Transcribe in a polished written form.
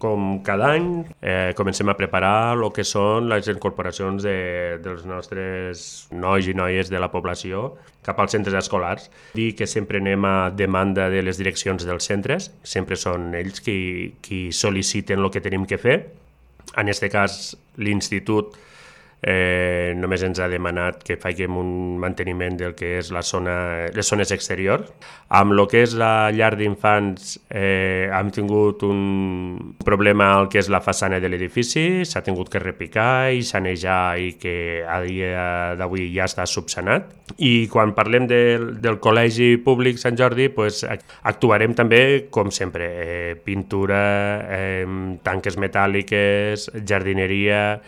Com cada any, comencem a preparar el que són les incorporacions dels nostres nois i noies de la població cap als centres escolars. Dir que sempre anem a demanda de les direccions dels centres, sempre són ells qui sol·liciten el que tenim que fer. En aquest cas, l'institut només ens ha demanat que faiguem un manteniment del que és les zones exteriors. Amb el que és la llar d'infants hem tingut un problema al que és la façana de l'edifici, s'ha tingut que repicar i sanejar i que a dia d'avui ja està subsanat. I quan parlem del Col·legi Públic Sant Jordi, pues, actuarem també, com sempre, pintura, tanques metàl·liques, jardineria,